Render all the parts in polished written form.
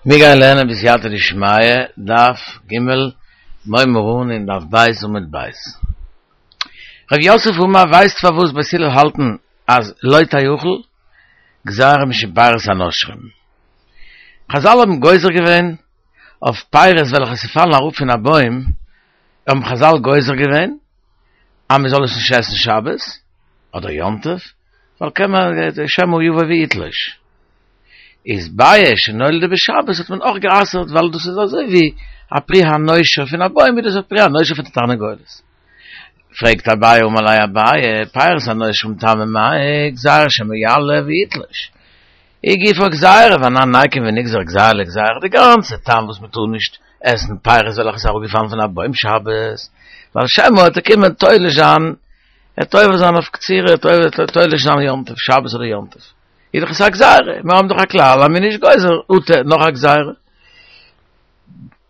מיר גייען לערנען בסייעתא דשמיא, דף ג', מ'הייבן אן אין דף ב' עמוד ב'. רב יוסף אמר ווייסט פארוואס בית הלל האלטן אז לא תאכל גזירה משום פירות הנושרים. חזל האבן גוזר געווען אויף פירות וועלכע ס'פאלן אראפ פון א בוים, האבן חזל גוזר געווען אז מ'זאל עס נישט עסן שבת אדער יום טוב, ווייל קען מען שמא יבוא ויתלוש. איז ביעא שנולדה בשבת האט מען אויך גע'אסר'ט ווייל דאס איז אזוי ווי א פרי הנושר פון א בוים איז דאס א פרי הנושר פון די תרנגולת. פרעגט אביי אמר ליה אביי פירות הנושרים טעמא מאי גזירה שמא יעלה ויתלוש. היא גופא גזירה ואנן ניקום ונגזור גזירה לגזירה די גאנצע טעם וואס מען טאר נישט עסן פירות וועלכע איז אראפגעפאלן פון א בוים שבת ווייל שמא וועט ער קומען תולש זיין ער וועט עובר זיין אויף קצירה ער וועט תולש זיין יום טוב שבת אדער יום טוב. איז דאך עס א גזירה, מיר האבן דאך א כלל אז מ'איז נישט גוזר אטו נאך א גזירה.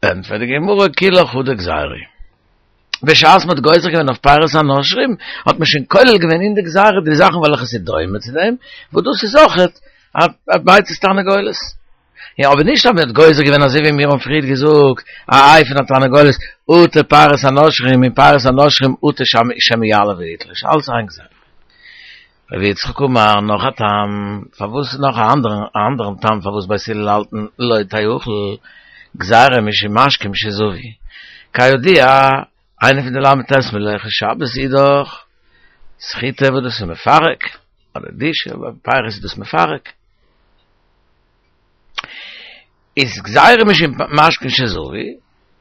ענטפערט די גמרא כולה חדא גזירה. בשעת מ'האט גוזר געווען אויף פירות הנושרים, האט מען שוין כולל געווען אין די גזירה די זאכן וועלכע ס'איז דומה צו דעם, וואס דאס איז אויכעט א ביצת תרנגולת. יא, אבער נישט אז מ'האט גוזר געווען אזוי ווי מיר האבן פריערט געזאגט, א איי פון א תרנגולת אטו פירות הנושרים און פירות הנושרים אטו שמא יעלה ויתלוש, אלץ איין גזירה. רבי יצחק אמר, נאך א טעם פארוואס נאך א אנדערן א אנדערן טעם פארוואס בית הלל האלטן לא תאכל גזירה משום משקין שזבו. כידוע, איינע פון די ל"ט מלאכות שבת איז דאך סחיטה וואס דאס איז מפרק, אדער דיש, אבער פירות איז דאס מפרק. איז גזירה משום משקין שזבו,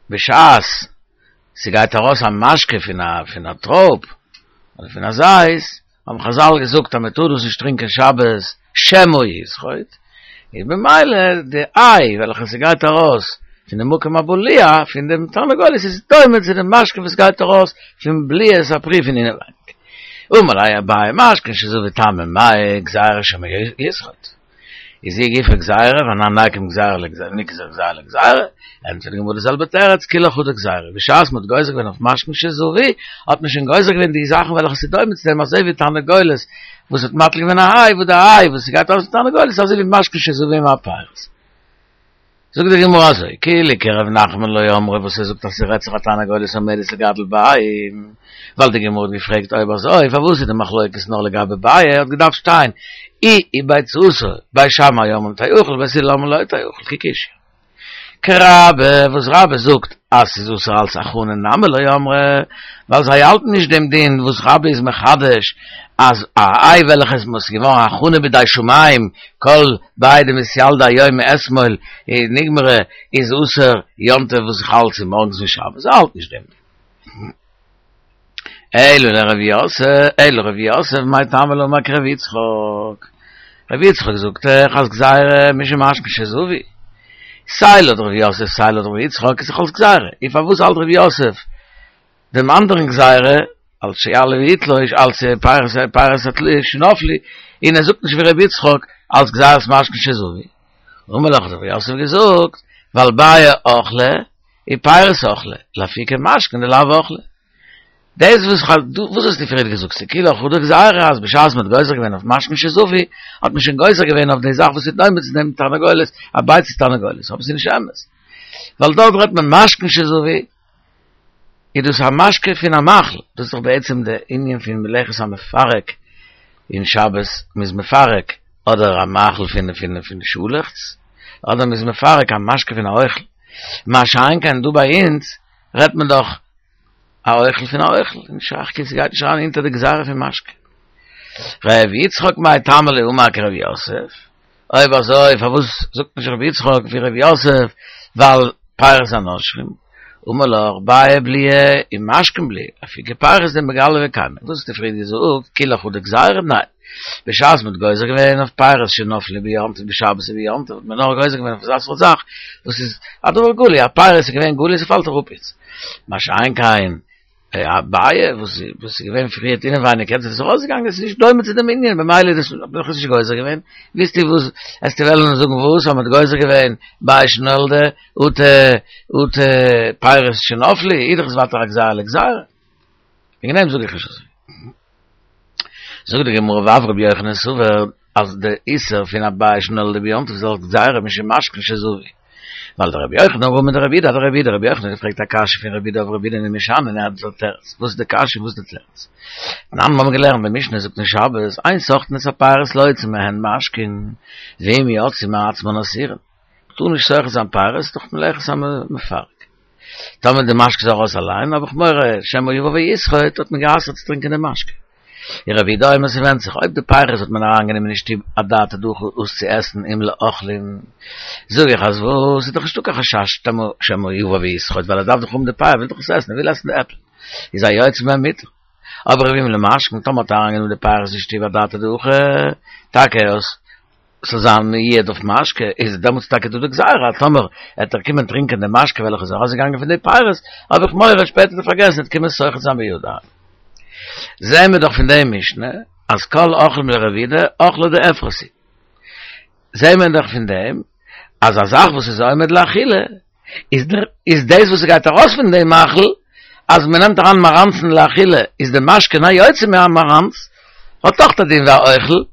בשעת ס'גייט ארויס א משקה פון א פון א טרויב אדער פון א זית, האבן חזל געזאגט אז מ'טאר דאס נישט טרינקען שבת שמא יסחוט, איז במילא די איי וועלכע ס'גייט ארויס פון די מקום הבליעה פון דעם תרנגולת איז דומה צו די משקה וואס גייט ארויס פון בליעת הפרי פון אינעווייניג. אמר ליה אביי משקין שזבו טעמא מאי גזירה שמא יסחוט. איז היא גופא גזירה ואנן ניקום גזירה לגזירה נגזור גזירה לגזירה, ענטפערט די גמרא די זעלבע תירוץ כולה חדא גזירה, בשעת מ'האט גוזר געווען אויף משקין שזבו האט מען שוין גוזר געווען די זאכן וועלכע ס'איז דומה צו דעם אזוי ווי תרנגולת וואס האט מטיל געווען א איי וואס די איי וואס ס'גייט ארויס פון תרנגולת איז אזוי ווי משקין שזבו מהפירות. זאגט די גמרא אזוי, כאילו כרב נחמן לא אמרי וואס ער זאגט אז ס'רעדט זיך א תרנגולת עומדת לגדל ביעים, ווייל די גמרא האט געפרעגט אויב אזוי פארוואס איז די מחלוקת נאר לגבי ביעא, האט געדארפט שטיין היא וביצתה, בית שמאי אומרים תאכל בית הלל אומרים לא תאכל כי קשיא. כרבה וואס רבה זאגט אז ס'איז אסור אלס הכנה נמי לא אמרי, ווייל זיי האלטן נישט דעם דין וואס רבה איז מחדש אז א איי וועלכע איז מ'איז געווארן הכנה בידי שמים כל ביעא דמתילדא היום מאתמול נגמרה איז אסור יום טוב וואס איז חל צומארגנס פון שבת, זיי האלטן נישט דעם דין. אלא לרב יוסף, אלא רב יוסף מאי טעמא לא אמר כרבי יצחק, רבי יצחק זאגט דאך אז גזירה משום משקין שזבו, סיי לויט רב יוסף סיי לויט רבי יצחק איז דאך אלס גזירה, און פארוואס האלט רב יוסף דעם אנדערן גזירה אלס שיעלה ויתלוש אלס פירות פירות התלוש שנפלו, און ער זאגט נישט ווי רבי יצחק אלס גזירת משקין שזבו? אמר לך האט רב יוסף געזאגט ווייל ביעא אכלה ופירות אכלה, לאפוקי משקין דלאו אכלה. דאס וואס איך האב, וואס האסטו פריער געזאגט, ס'איז כולה חדא גזירה אז בשעת מ'האט גוזר געווען אויף משקין שזבו, האט מען שוין גוזר געווען אויף די זאך וואס איז דומה צו דעם תרנגולת, א ביצת תרנגולת, אבער ס'איז נישט אמת. ווייל דארט רעדט מען משקין שזבו, איז דאס א משקה פון א מאכל, דאס איז דאך בעצם די ענין פון מלאכת המפרק אין שבת, מ'איז מפרק אדער א מאכל פון פון פון שאלעכץ, אדער מ'איז מפרק א משקה פון א אוכל. מה שאין כן דא ביי אונז רעדט מען דאך א אוכל פון א אוכל, נישט שייך כאילו ס'גייט נישט אריין אונטער די גזירה פון משקה. ר' יצחק מאי טעמא לא אמר כר' יוסף, אויב אזוי פארוואס זאגט נישט ר' יצחק ווי ר' יוסף ווייל פירות הנושרים, אמר לך ביעא בליעי ומשקין בליעי, לאפוקי פירות דמגלי וקיימי, וואס האסטו פריער געזאגט כולה חדא גזירה? ניין. בשעת מ'האט גוזר געווען אויף פירות שנפלו ביום טוב בשבת וביום טוב האט מען נאר גוזר געווען אויף אזא סארט זאך וואס איז א דבר גלוי, א פירות איז געווען גלוי ס'פאלט אראפ איצט, מה שאין כן א ביעא וואס וואס איז געווען פריערט אינעווייניג יעצט איז עס ארויסגעגאנגען עס איז נישט דומה צו דעם ענין במילא איז דאס האט מען דאך נישט גוזר געווען, ווילסטו וואס עסטו וועלן זאגן וואס אז מ'האט גוזר געווען ביעא שנולדה אטו אטו פירות שנפלו איז דאך עס ווייטער א גזירה לגזירה, וועגן דעם זאג איך נישט אזוי. זאגט די גמרא ואף רבי יוחנן סבר אז די איסור פון א ביעא שנולדה ביום טוב איז אלס גזירה משום משקין שזבו. ווייל דרבי יוחנן אמר מדרבי יהודה אדרבי יהודה, רבי יוחנן האט געפרעגט א קשיא פון רבי יהודה אויף רבי יהודה און משני און ער האט דער תירוץ, וואס איז די קשיא און וואס איז די תירוץ? תנן מיר האבן געלערנט די משנה זאגט אין שבת, אין סוחטין את הפירות להוציא מהן משקין, ואם יצאו מעצמן אסורין. מ'טאר נישט סוחט זיין פירות דורך מלאכת המפרק. טאמער די משקה איז ארויס אליין האב איך מורא שמא יבא ויסחוט האט מען גע'אסר'ט צו טרינקען די משקה. און רבי יהודה אומר ס'ווענדט זיך אויב די פירות האט מען אריינגענומען אין שטוב אדעתא דהכי אויס צו עסן אם לאוכלים זאג איך אז וואס איז דאך נישטא קיין חשש שמא יבא ויסחוט ווייל ער דארף דאך האבן די פירות ער וויל דאך עס עסן ער וויל עסן די עפל איז היוצא מהן מותר אבער ואם למשקין טאמער האט ער אריינגענומען די פירות אין שטוב אדעתא דהכי טאקע אויס ס'זאל זיין מיועד אויף משקה, איז דעמאלטס טאקע דא די גזירה אז טאמער עט ער קומען טרינקען די משקה וועלכע איז ארויסגעגאנגען פון די פירות, האב איך מורא שפעטער צו פארגעסן עט קומען סוחט זיין בידים. זעהן מיר דאך פון די משנה אז כל אוכלים לרבי יהודה אוכלא דאפרת היא. זעהן מיר דאך פון דעם אז א זאך וואס איז עומד לאכילה איז דער איז דאס וואס ס'גייט ארויס פון דעם מאכל אז מ'נעמט אריין מאראנצן לאכילה איז די משקה היוצא מהמאראנץ האט דאך א דין ווי א אוכל.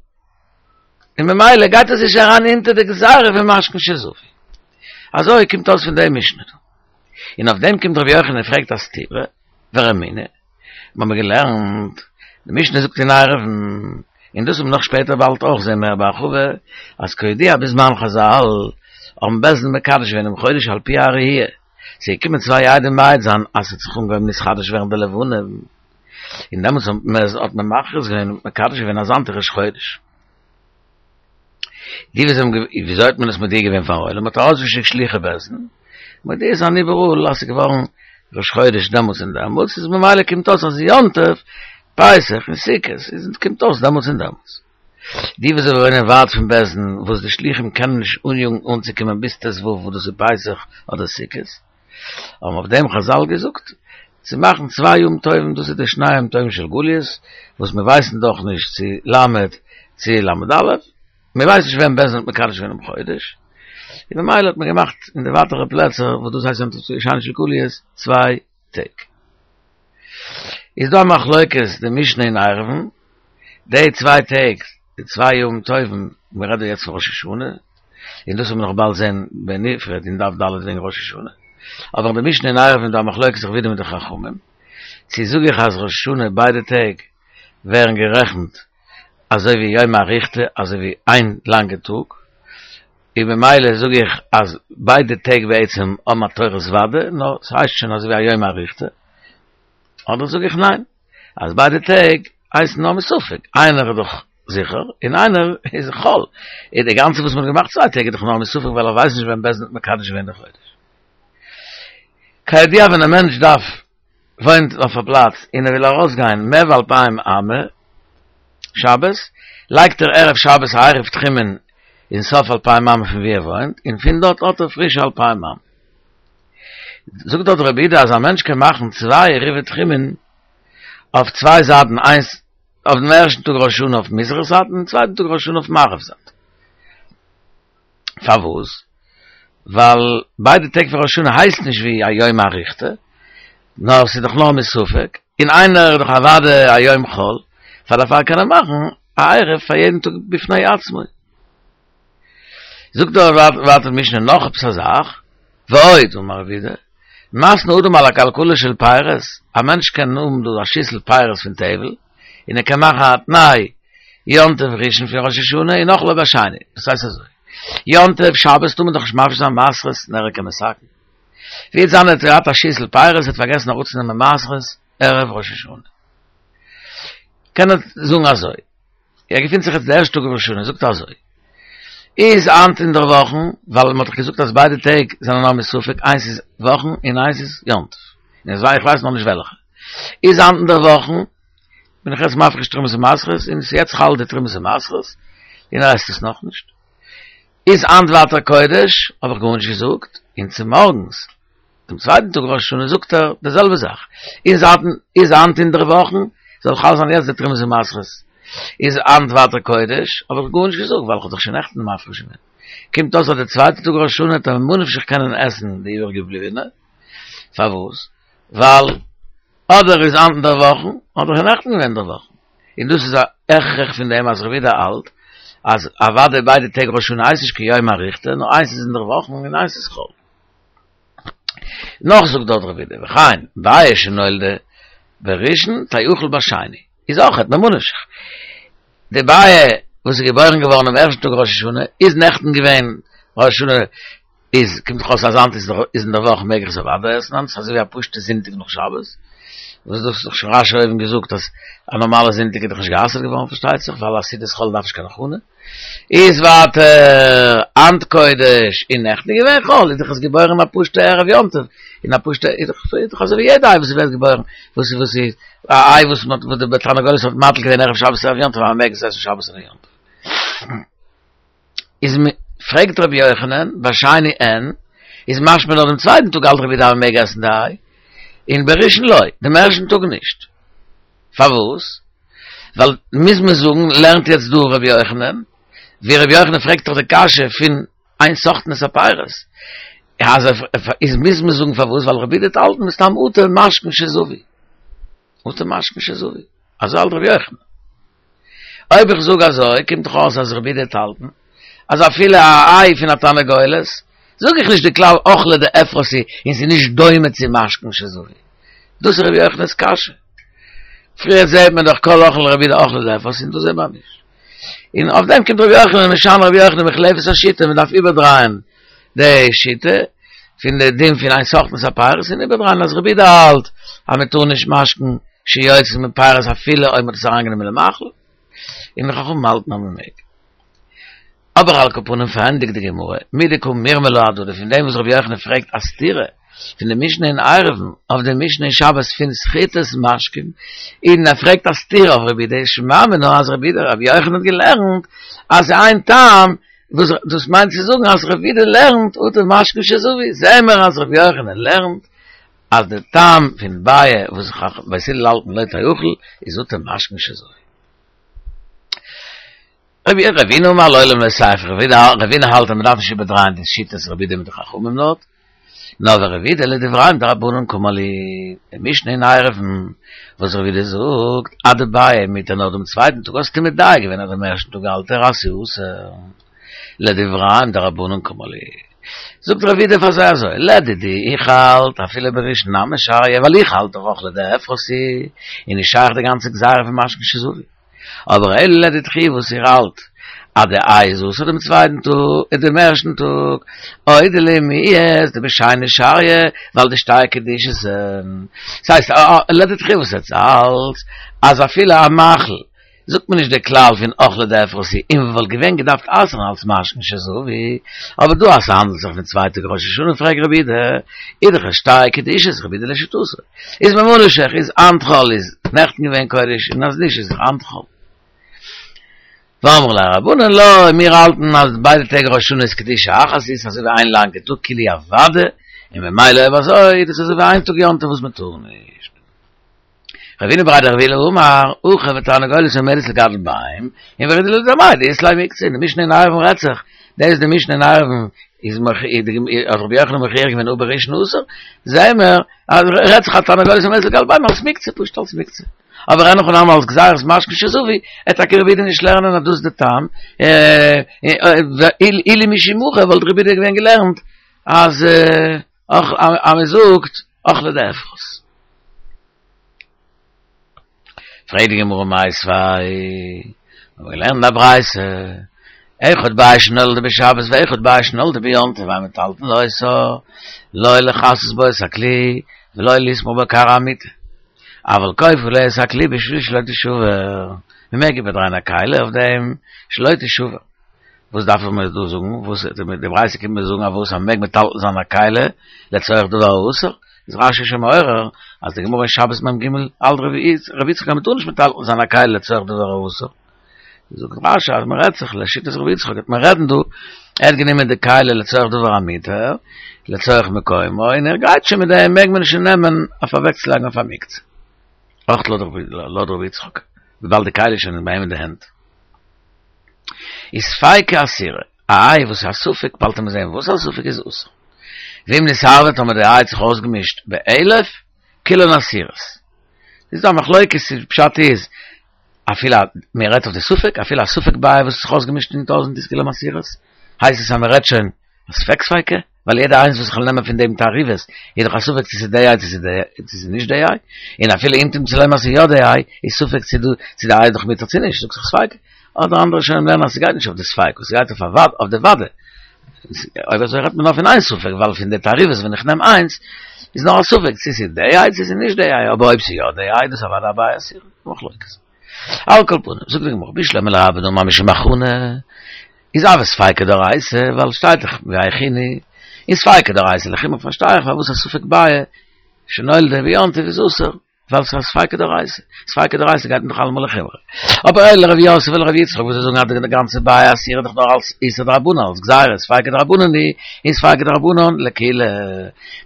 און ממילא גייט עס נישט אריין אונטער די גזירה פון משקין שזפו. אזוי קומט אויס פון די משנה דא. און אויף דעם קומט רבי יוחנן און פרעגט א סתירה, ורמינהי, מיר האבן געלערנט, די משנה זאגט אין עירובין, און דאס וועט מען נאך שפעטער באלד אויך זען מער בהרחבה, אז כידוע בזמן חזל האבן בית דין מקדש געווען דעם חודש על פי הראייה, ס'איז געקומען צוויי עדים מעיד זיין אז ס'האט זיך אנגעהויבן נתחדש ווערן די לבנה, און דעמאלטס האט מען מכריז געווען און מקדש געווען אז היינט איז ראש חודש. די וואס האבן וויאזוי האט מען עס מודיע געווען פארן עולם, מ'האט ארויסגעשיקט שלוחי בית דין, מודיע זיין איבעראל אז ס'איז געווארן ראש חודש דעמאלטס און דעמאלטס, איז ממילא קומט אויס אז יום טוב, פסח און סוכות, איז קומט אויס דעמאלטס און דעמאלטס. די וואס וואוינען ווייט פון בית דין, וואס די שלוחים קענען נישט אניאגן אנצוקומען ביז ט"ו וואס דאס איז פסח אדער סוכות, האבן אויף דעם חזל געזאגט צו מאכן צוויי יום טובים, דאס איז די שני יום טובים של גליות, וואס מיר ווייסן דאך נישט צו ל' צו ל"א, מיר ווייסן נישט ווען בית דין האט מקדש געווען דעם חודש, און ממילא האט מען געמאכט אין די ווייטערע פלעצער וואס דאס הייסט יום טוב שני של גליות צוויי טעג. איז דא א מחלוקת די משנה אין עירובין, די צוויי טעג, די צוויי יום טובים, מען רעדט דא יעצט פון ראש השנה, און דאס וועט מען נאך באלד זען בנפרד אין דף ד' וועגן ראש השנה, אבער אין די משנה אין עירובין איז דא א מחלוקת רבי יהודה מיט די חכמים, צו זאג איך אז ראש השנה ביידע טעג ווערן גערעכנט אזוי ווי יומא אריכתא, אזוי ווי איין לאנגע טאג, און ממילא זאג איך אז ביידע טעג בעצם האבן א תורת ודאי, נאר ס'הייסט שוין אזוי ווי א יומא אריכתא, אדער זאג איך ניין, אז ביידע טעג הייסן נאר מספק, איינער איז דאך זיכער און איינער איז חול, איז די גאנצע וואס מ'האט געמאכט צוויי טעג איז דאך נאר מספק ווייל ער ווייסט נישט ווען בית דין האט מקדש געווען די חודש. כידוע ווען א מענטש דארף וואוינט אויף א פלאץ און ער וויל ארויסגיין מער ווי אלפיים אמה שבת, לייגט ער ערב שבת א עירוב תחומין אין סוף אלפיים אמה פון ווי ער וואוינט, און פון דארט האט ער פרישע אלפיים אמה. זאגט דארט רבי יהודה אז א מענטש קען מאכן צוויי עירובי תחומין אויף צוויי זייטן, איינס אויף דעם ערשטן טאג ראש השנה אויף מזרח זייט און צווייטן טאג ראש השנה אויף מערב זייט. פארוואס? ווייל ביידע טעג פון ראש השנה הייסט נישט ווי א יומא אריכתא, נאר ס'איז דאך נאר מספק, און איינער איז דאך אוודאי א יום חול, פאר דערפאר קען ער מאכן א עירוב פאר יעדן טאג בפני עצמו. זאגט דער ווייטער משנה נאך עפעס א זאך, ועוד אמר רבי יהודה, מתנה אדם על הכלכלה של פירות, א מענטש קען האבן דא א שיסל פירות פון טבל, און ער קען מאכן א תנאי יום טוב ראשון פון ראש השנה און אוכלו בשני, דאס הייסט אזוי, יום טוב שבת טאר מען דאך נישט מפריש זיין מעשרות און ער איז כמתקן. ווי וועט זיין ער האט געהאט א שיסל פירות ער האט פארגעסן אראפצונעמען מעשרות ערב ראש השנה, קען ער זאגן אזוי, ער געפינט זיך יעצט די ערשטע טאג ראש השנה, זאגט ער אזוי, איז היינט אינדערוואכן, ווייל מען האט דאך געזאגט אז ביידע טעג זענען נאר מספק, איינס איז וואכן און איינס איז יום טוב, און איך ווייס נאכנישט וועלכע, איז היינט אינדערוואכן, בין איך יעצט מפריש תרומות ומעשרות, און עס איז יעצט חל די תרומות ומעשרות, און ער עסט עס נאכנישט. איז היינט ווייטער קודש, האב איך גארנישט געזאגט, און צומארגנס, דעם צווייטן טאג ראש השנה זאגט ער די זעלבע זאך, איז היינט איז היינט אינדערוואכן, זאל חל זיין יעצט די תרומות ומעשרות, איז היינט ווייטער קודש, האב איך גארנישט געזאגט, ווייל איך האב דאך שוין נעכטן מפריש געווען. קומט אויס אז די צווייטע טאג ראש השנה וועט ער ממה נפשך קענען עסן די איבערגעבליבענע, פארוואס? ווייל אדער איז היינט אינדערוואכן, אדער איז נעכטן געווען אינדערוואכן. און דאס איז א הכרח פון דעם אז רבי יהודה האלט. אז אוודאי ביידע טעג ראש השנה הייסט נישט קיין יומא אריכתא, נאר איינס איז אינדערוואכן און איינס איז חול. נאך זאגט דארט רבי יהודה, וכן, ביעא שנולדה בראשון תאכל בשני, איז אויכעט ממה נפשך. די ביעא וואס איז געבוירן געווארן דעם ערשטן טאג ראש השנה, איז נעכטן געווען ראש השנה, איז קומט דאך אויס אז היינט איז איז אין דער וואך מעג איך עס אוודאי עסן היינט, ס'איז אזוי ווי א פשוט'ע זונטאג נאך שבת, וואס דאס האט דאך שוין רש"י אויבן געזאגט אז א נארמאלע זונטאג איז דאך נישט גע'אסר'ט געווארן פארשטייט זיך, ווייל א סעודת חול דארף נישט קיין הכנה. איז ווייטער היינט קודש און נעכטן איז געווען חול, איז דאך עס געבוירן א פשוט'ע ערב יום טוב, און א פשוט'ע איז דאך איז דאך אזוי ווי יעדע איי וואס ווערט געבוירן, וואס וואס איז א איי וואס מ'האט וואס די תרנגולת האט מטיל געווען ערב שבת ערב יום טוב אז מ'מעג עס עסן שבת און יום טוב. איז מ פרעגט רבי יוחנן, בשני אין, איז משמע נאר דעם צווייטן טאג האלט רבי יהודה אז מ'מעג עסן די איי, און בראשון לא, דעם ערשטן טאג נישט. פארוואס? ווייל מוז מען זאגן, לערנט יעצט דא רבי יוחנן, ווי רבי יוחנן פרעגט דאך די קשיא פון אין סוחטין את הפירות, אז איז מוז מען זאגן פארוואס, ווייל רבי יהודה וועט האלטן מסתם אטו משקין שזבו, אטו משקין שזבו, אזוי האלט רבי יוחנן. אויב איך זאג אזוי, קומט דאך אויס אז רבי יהודה וועט האלטן אז אפילו א איי פון א תרנגולת, זאג איך נישט די כלל אוכלא דאפרת היא און ס'איז נישט דומה צו משקין שזבו. דאס איז רבי יוחנן'ס קשיא. פריער זעהט מען דאך כל אוכל לרבי יהודה אוכלא דאפרת היא און דא זעהט מען נישט. און אויף דעם קומט רבי יוחנן משנה רבי יוחנן מוחלפת השיטה, מען דארף איבערדרייען די שיטה פון די דין פון אין סוחטין את הפירות און איבערדרייען אז רבי יהודה האלט אז מען טאר נישט משקין שיוצא מפירות אפילו אויב מען האט עס אריינגענומען למאכל, און די חכמים האלטן אז מען מעג. אבער על כל פנים פארענדיגט די גמרא, מדקא מירמא להדדי, פון דעם וואס רבי יוחנן פרעגט א סתירה פון די משנה אין עירובין אויף די משנה אין שבת פון סחיטת משקין, און ער פרעגט א סתירה אויף רבי יהודה, שמע מינה אז רבי יהודה רבי יוחנן האט געלערנט אז איין טעם וואס דאס מיינט צו זאגן אז רבי יהודה לערנט אטו משקין שזבו, זעען מיר אז רבי יוחנן לערנט אז די טעם פון ביעא וואס בית הלל האלטן לא תאכל איז אטו משקין שזבו. רבי רבינא אמר לעולם לא תיפוך, רבינא האלט אז מען דארף נישט איבערדרייען די שיטות רבי יהודה מיט די חכמים דארט, נאר ורבי יהודה לדבריהם דרבנן קאמר להו, די משנה אין עירובין וואס רבי יהודה זאגט אז די ביעא מותר נאר דעם צווייטן טאג האסטו מדייק געווען אז דעם ערשטן טאג האלט ער אז ס'איז אסור, לדבריהם דרבנן קאמר להו, זאגט רבי יהודה פאר זיי אזוי, לדידי איך האלט אפילו בראשון נמי שריא ווייל איך האלט דאך אוכלא דאפרת היא, און נישט שייך די גאנצע גזירה פון משקין שזבו. אבער אלא לדידכו וואס איר האלט אז די איי איז אסור דעם צווייטן טאג דעם ערשטן טאג, אודי לי מיהת דבשני שריא ווייל דשתי קדושתא. ס'הייסט לדידכו וואס עטס האלטס אז אפילו א מאכל זאגט מען נישט די כלל פון אוכלא דאפרת היא און וואלט געווען געדארפט אסר'ן אלס משקין שזבו, אבער דא אז ס'האנדלט זיך פון צוויי טאג ראש השנה פרעגט רבי יהודה איז דאך שתי קדושות רבי יהודה לשיטתו. איז ממה נפשך איז היינט חול איז נעכטן געווען קודש און אז נישט איז דאך היינט חול. ואמרי לה רבנן לא, מיר האלטן אז ביידע טעג ראש השנה איז קדושה אחת איז אזוי ווי איין לאנגע טאג כולהו אוודאי, און ממילא אויב אזוי איז דאס אזוי ווי איין טאג יום טוב וואס מען טאר נישט. רבינא בריה דרב עולא אמר, אוכל ותרנגולת עומדת לגדל ביעים, און ורבי יהודה לטעמיה דאית ליה מוקצה, די משנה אין עירובין רעדט זיך, דאס איז די משנה אין עירובין איז האט רבי יוחנן מוכיח געווען הא בראשון אסור, זעהן מיר אז רעדט זיך א תרנגולת עומדת לגדל ביעים אלס מוקצה, פשוט אלס מוקצה. אבער אין הכי נמי אלס גזירת משקין שזבו, וועט טאקע רבי יהודה נישט לערנען אז דאס איז די טעם, אילו משום הכי וואלט רבי יהודה געווען געלערנט אז אז מען זאגט אוכלא דאפרת. פרעגט די גמרא מיתיבי, מיר האבן געלערנט א ברייתא, אחד ביעא שנולדה בשבת ואחד ביעא שנולדה ביום טוב אין מטלטלין אותה, לא לכסות בה את הכלי ולא לסמוך בה כרעי המטה, אבל כופה עליה את הכלי בשביל שלא תשבר, מען מעג איבערדרייען א כלי אויף דעם שלא תשבר. וואס דארף איך מיר דא זאגן? וואס די ברייתא קומט מיר זאגן אז וואס אז מ'מעג מטלטל זיין א כלי לצורך דבר האסור? איז רש"י שוין מעורר אז די גמרא אין שבת מ"ג האלט רבי יצחק אז מ'טאר נישט מטלטל זיין א כלי לצורך דבר האסור. זאגט רש"י אז מ'רעדט זיך לשיטת רבי יצחק וועט מען רעדן דא, ער האט גענומען די כלי לצורך דבר המותר, לצורך מקומו, און ער גייט שוין מיט דעם מעג מען שוין נעמען אויף אוועקצולייגן אויף א מוקצה. אויך לויט רבי יצחק, וויבאלד די כלי איז שוין ביי אים אין די הענט. איז ספיקא אסירא, א איי וואס איז א ספק, באלד וועט מען זען וואס א ספק איז אסור. ואם נתערבה טאמער די איי האט זיך אויסגעמישט באלף, כולן אסירות. איז דא א מחלוקת צו פשט איז. אפילו מען רעדט אויף די ספק, אפילו א ספק ביעא וואס האט זיך אויסגעמישט אין טויזענט איז כולן אסירות, הייסט עס אז מען רעדט שוין א ספק ספיקא, ווייל יעדע איינס וואס איך וועל נעמען פון דעם תערובת איז דאך א ספק צו ס'איז די איי צו ס'איז נישט די איי, און אפילו אם תמצא לומר אז ס'איז יא די איי, איז ספק צו די איי איז דאך מותר צו נישט, זאגט זיך ספיקא. אדער אנדערע ראשונים לערנען אז ס'גייט נישט אויף די ספיקא, ס'גייט אויף א וודאי, אויף די וודאי. אויב אזוי רעדט מען נאר פון איין ספק, ווייל פון די תערובת ווען איך נעם איינס, איז נאר א ספק צו ס'איז די איי צו ס'איז נישט די איי, אבער אויב ס'איז יא די איי, דאס אוודאי א ביעא אסורה, מחלוקת. על כל פנים, זאגט די גמרא, בשלמא לרבה דאמר משום הכנה, איז הוי ספיקא דאורייתא, ווייל שטייט דאך והכינו, איז ספיקא דאורייתא לחומרא פארשטיי איך פארוואס א ספק ביעא שנולדה ביום טוב איז אסור. ווייל ס'איז א ספיקא דאורייתא, ספיקא דאורייתא גייט מען דאך אלעמאל לחומרא. אבער אלא לרב יוסף ולרב יצחק וואס זיי זאגן אז די גאנצע ביעא אסורה איז דאך נאר אלס איסור דרבנן, אלס גזירה, ספיקא דרבנן היא, און ספיקא דרבנן לקולא.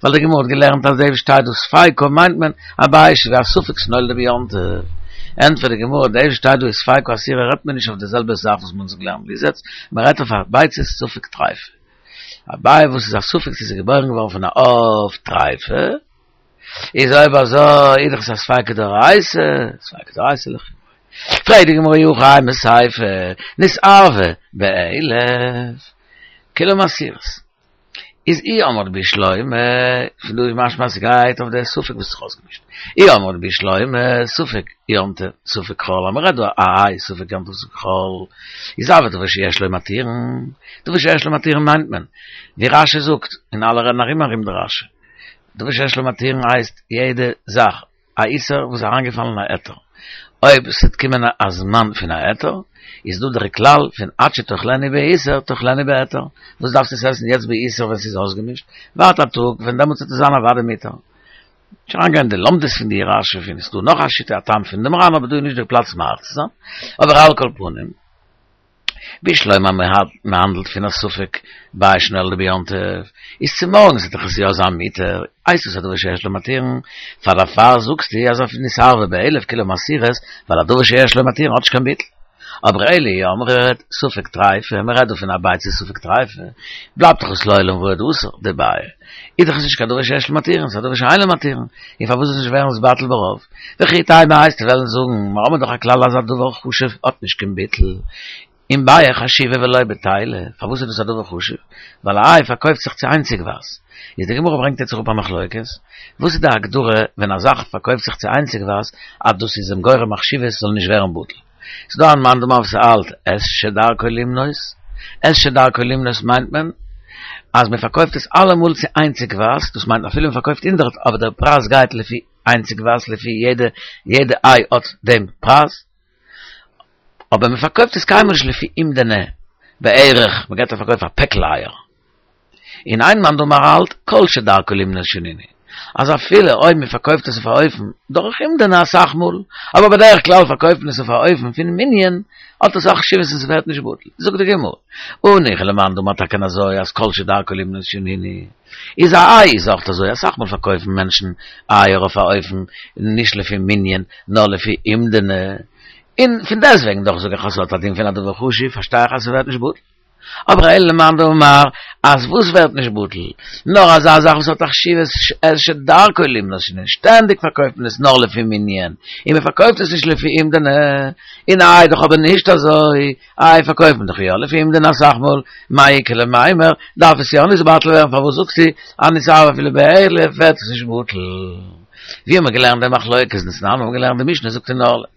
ווייל די גמרא האט געלערנט אז דאס וואס שטייט דא ספיקא מיינט מען א ביעא ווי א ספק שנולדה ביום טוב. ענטפערט די גמרא, דאס וואס שטייט דא איז ספיקא אסורה רעדט מען נישט אויף די זעלבע זאך וואס מ'האט געלערנט ביז יעצט, מ'רעדט אויף א ביצה ספק טריפה. א ביעא וואס איז א ספק צו ס'איז געבוירן געווארן פון א עוף טריפה, איז אויב אזוי איז דאך עס א ספיקא דאורייתא, ספיקא דאורייתא לחומרא. פרעגט די גמרא אי הכי אימא סיפא, נתערבה באלף, כולן אסירות. איז אי אמרת בשלמא, פון דא איז משמע אז ס'גייט אויף די ספק וואס האט זיך אויסגעמישט. אי אמרת בשלמא, ספק יום טוב, ספק חול, אז מ'רעדט דא א איי ספק יום טוב ספק חול, איז הוי דבר שיש לו מתירין, דבר שיש לו מתירין מיינט מען, ווי רש"י זאגט, און אלע רעדן ארום ארום די רש"י. דבר שיש לו מתירין הייסט יעדע זאך א איסור וואס איז אריינגעפאלן אין א היתר, אויב ס'וועט קומען א זמן פון א היתר, איז דא דער כלל פון עד שתאכלנו באיסור תאכלנו בהיתר, וואס דארפסטו עס עסן יעצט באיסור ווען ס'איז אויסגעמישט, ווארט א טאג ווען דעמאלטס וועט עס זיין אוודאי מותר. נישט אריינגיין אין די לומדות פון די רש"י פון איז דא נאך א שיטה א טעם פון דעם ר"ן אבער דא איז נישט דער פלאץ מאריך צו זיין, אבער על כל פנים. בשלמא מ'האנדלט פון א ספק ביעא שנולדה ביום טוב, איז צומארגנס וועט דאך עס יא זיין מותר, הייסט עס א דבר שיש לו מתירין, פאר דערפאר זאגסטו אז אויף נתערבה באלף כולן אסירות, ווייל א דבר שיש לו מתירין האט נישט קיין ביטול. אבער אלא אי אמרת ספק טריפה, מ'רעדט דא פון א ביצה ספק טריפה, בלייבט דאך עס לעולם ועד אסור, די ביעא איז דאך עס נישט קיין דבר שיש לו מתירין, ס'איז א דבר שאין לו מתירין, און פארוואס זאל עס נישט ווערן נתבטל ברוב? וכי תימא וועסטו וועלן זאגן, מיר האבן דאך א כלל אז א דבר חשוב האט נישט קיין ביטול, און ביעא חשיבה ולא בטילה, פארוואס איז דאס א דבר חשוב? ווייל א איי פארקויפט זיך צו איינציגווייז. איז די גמרא ברענגט יעצט אראפ א מחלוקת, וואס איז די הגדרה ווען א זאך פארקויפט זיך צו איינציגווייז אז דאס איז אים גורם א חשיבות זאל נישט ווערן בטל? ס'איז דא א מאן דאמר וואס האלט את שדרכו למנות, את שדרכו למנות מיינט מען אז מען פארקויפט עס אלעמאל צו איינציגווייז, דאס מיינט אפילו מען פארקויפט הונדערט אבער דער פרייז גייט לפי איינציגווייז לפי יעדע יעדע איי האט דעם פרייז, אבער מען פארקויפט עס קיינמאל נישט לפי אומדנא בערך, מען גייט א פארקויפן א פעקל אייער. און איין מאן דאמר האלט כל שדרכו למנות שנינו, אז אפילו אויב מען פארקויפט עס אויף א אופן דורך אומדנא אסאך מאל, אבער בדרך כלל פארקויפט מען עס אויף א אופן פון מנין, האט עס א חשיבות און ס'ווערט נישט בטל. זאגט די גמרא, הניחא למאן דאמר טאקע אזוי אז כל שדרכו למנות שנינו, איז א איי איז אויך אזוי, אסאך מאל פארקויפן מענטשן אייער אויף א אופן נישט לפי מנין נאר לפי אומדנא, און פון דעסטוועגן דאך זאג איך אז ס'האט א דין פון א דבר חשוב, פארשטיי איך אז ס'ווערט נישט בטל. אבער אלא למאן דאמר אז וואס ווערט נישט בטל? נאר אזא זאך וואס האט א חשיבות את שדרכו למנות שנינו, שטענדיג פארקויפט מען עס נאר לפי מנין, און מען פארקויפט עס נישט לפי אומדנא, און איי דאך אבער נישט אזוי, איי פארקויפט מען דאך יא לפי אומדנא אסאך מאל, מאי איכא למימר, דארף עס יא נתבטל ווערן פארוואס זאגסטו אז נתערבה אפילו באלף ווערט עס נישט בטל? ווי האט מען געלערנט די מחלוקת? דתנן האט מען געלערנט די משנה זאגט אין ערלה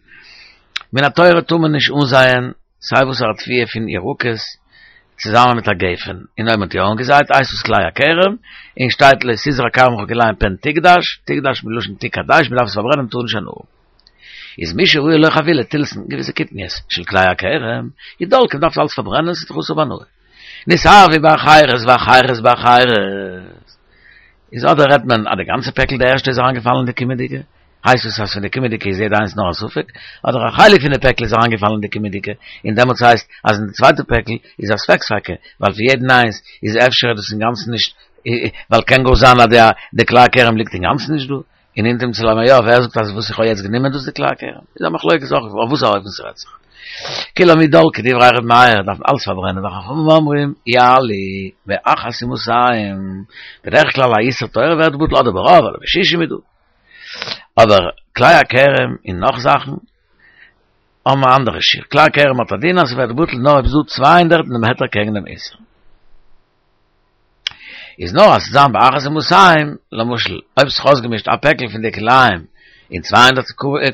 מן התורה טאר מען נישט אנזייען סיי וואסערע תבואה פון ירקות צוזאמען מיט א גפן, און אויב מען האט יא אנגעזייט הייסט עס כלאי הכרם, און שטייט לא תזרע כרמך כלאים פן תקדש, תקדש מלשון תקדש, מען דארף עס פארברענען מען טאר נישט הנאה האבן. איז מי שראה לו חבילה תלתן געוויסע קטניות של כלאי הכרם, איז דולקין דארף עס אלץ פארברענען ס'איז דאך אסור בהנאה. נתערבו באחרות ואחרות באחרות. איז אדער רעדט מען אז די גאנצע פעקל די ערשטע איז אריינגעפאלן אין די קומענדיגע, הייסט עס אז פון די קומענדיגע איז יעדע איינס נאר א ספק, אדער א חלק פון די פעקל איז אריינגעפאלן אין די קומענדיגע, און דעמאלטס הייסט אז אין די צווייטע פעקל איז א ספק ספיקא, ווייל פון יעדן איינס איז אפשר דאס אינגאנצן נישט, ווייל קען גאר זיין אז די כלאי הכרם ליגט אינגאנצן נישט דא, און אם תמצא לומר יא, ווער זאגט אז וואס איך האב יעצט גענומען דאס איז די כלאי הכרם? איז א מחלוקת אויך אויף וואס א אופן ס'רעדט זיך. כולן ידלקו דברי ר' מאיר דארף מען אלץ פארברענען וחכמים אומרים יעלו באחת ומאתים, בדרך כלל א איסור תורה ווערט בטל אדער ברוב אדער בשישים איז דא. אבער כלאי הכרם און נאך זאכן. האבן א אנדערע שיעור, כלאי כרם האט א דין אז ס'ווערט בטל נאר אויב ס'דא 200 אין דעם היתר קעגן דעם איסור. איז נאר אז ס'זאל זיין באחת ומאתים, למשל אויב ס'איז אויסגעמישט א פעקל פון די כלאים אין 200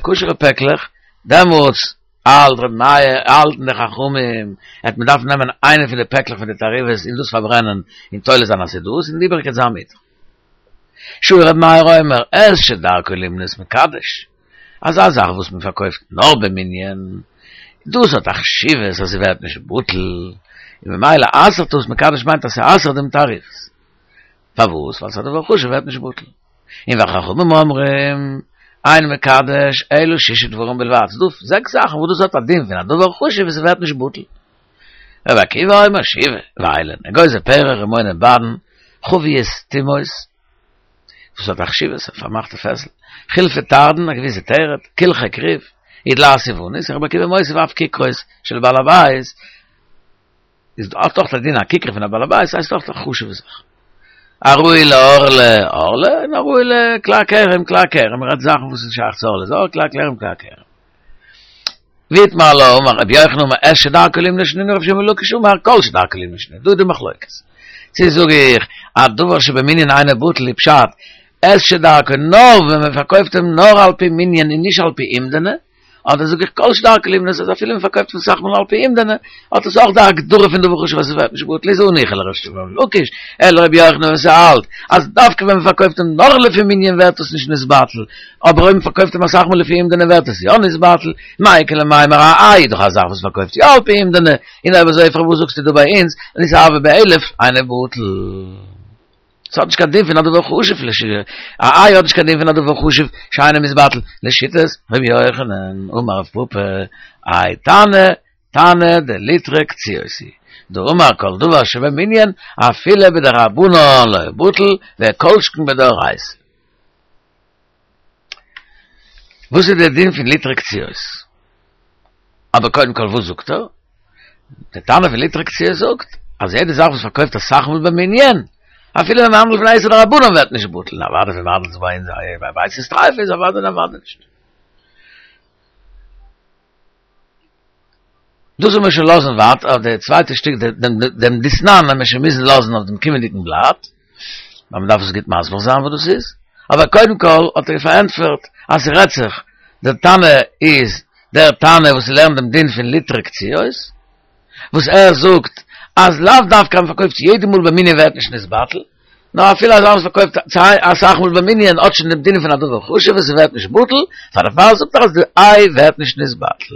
כשר'ע פעקלעך, דעמאלטס האלט ר' מאיר, האלטן די חכמים, העט מען דארפן נעמען איינע פון די פעקלעך פון די תערובות און דאס פארברענען און תולה זיין אז ס'איז דאס און די איבעריגע וועט זיין מותר. שהיה ר' מאיר אומר את שדרכו לימנות מקדש, אזא זאך וואס מען פארקויפט נאר במנין, דאס האט א חשיבות אז ס'ווערט נישט בטל, און ממילא אסר'ט דאס, מקדש מיינט אז ס'אסר'ט דעם תערובות. פארוואס? ווייל ס'איז א דבר חשוב ווערט נישט בטל. און וחכמים אומרים, אין מקדש אלא שישה דברים בלבד, ס'איז דא זעקס זאכן וואס דאס האט א דין פון א דבר חשוב און ס'ווערט נישט בטל. רבי עקיבא אומר שבעה, ואלו הן, אגוזי פרח, רימוני בדן, חביות טומאות, וואס האט א חשיבות, א פארמאכטע פעסל, חילפי תרדין, א געוויסע תרד, קלחי כרוב, ודלעת יונית, רבי עקיבא מוסיף אף ככרות של בעל הבית, איז דא אויך א דין א כיכר פון א בעל הבית הייסט אויך א חשובע זאך. הראוי לערלה ערלה, און הראוי לכלאי כרם כלאי כרם, מ'רעדט זאכן וואס איז שייך צו ערלה איז ערלה, כלאי כרם כלאי כרם. ואיתמר עלה אמר רבי יוחנן אמר את שדרכו לימנות שנינו רבי שמעון בן לקיש אמר כל שדרכו לימנות שנינו, דא איז די מחלוקת. צו זאג איך א דבר שבמנין אינו בטל איז פשט את שדרכו נאר ווען מען פארקויפט אים נאר על פי מנין און נישט על פי אומדנא, אדער זאג איך כל שדרכו לימנות אז אפילו מען פארקויפט אים אסאך מאל על פי אומדנא, האט עס אויך די הגדרה פון דבר חשוב אז עס ווערט נישט בטל איז הניחא לר' שמעון בן לקיש, אלא רבי יוחנן וואס ער האלט אז דווקא ווען מען פארקויפט אים נאר לפי מנין ווערט עס נישט נתבטל, אבער אויב מען פארקויפט אים אסאך מאל לפי אומדנא ווערט עס יא נתבטל, מאי איכא למימר א איי איז דאך א זאך וואס פארקויפט יא על פי אומדנא, און אויב אזוי פארוואס זאגסטו דא ביי אונז נתערב באלף אינו בטל? ס'האט נישט קיין דין פון א דבר חשוב לש א איי האט נישט קיין דין פון א דבר חשוב שאינו מתבטל לשיטת ר' יוחנן אמר רב פפא האי תנא תנא דליטרי קציעות הוא דאמר כל דבר שבמנין אפילו בדרבנן לא בטל וכל שכן בדאורייתא. וואס איז דער דין פון ליטרי קציעות? אבער קודם כל וואס זאגט ער? דער תנא פון ליטרי קציעות זאגט אז יעדע זאך וואס פארקויפט אסאך מאל במנין, אפילו ווען מ'האנדלט פון א איסור דרבנן ווערט נישט בטל, און אוודאי ווען מ'האנדלט זיך ביי אונז ביי ביצות טריפה איז אוודאי און אוודאי נישט. דאס וועל מיר שוין לאזן ווייטער אויף די צווייטע שטיק דעם דתנן וועל מיר שוין מוזן לאזן אויף דעם קומענדיגן בלאט, ווייל מ'דארף עס גוט מסביר זיין וואס דאס איז, אבער קודם כל האט ער פארענטפערט אז ס'רעדט זיך, דער תנא איז דער תנא וואס לערנט דעם דין פון ליטרי קציעות, וואס ער זאגט אז לאו דווקא אז מ'פארקויפט יעדע מאל במנין ווערט נישט נתבטל, נאר אפילו אזא וואס פארקויפט אסאך מאל במנין האט שוין דעם דין פון א דבר חשוב און ס'ווערט נישט בטל, פאר דערפאר זאגט ער אז די איי ווערט נישט נתבטל.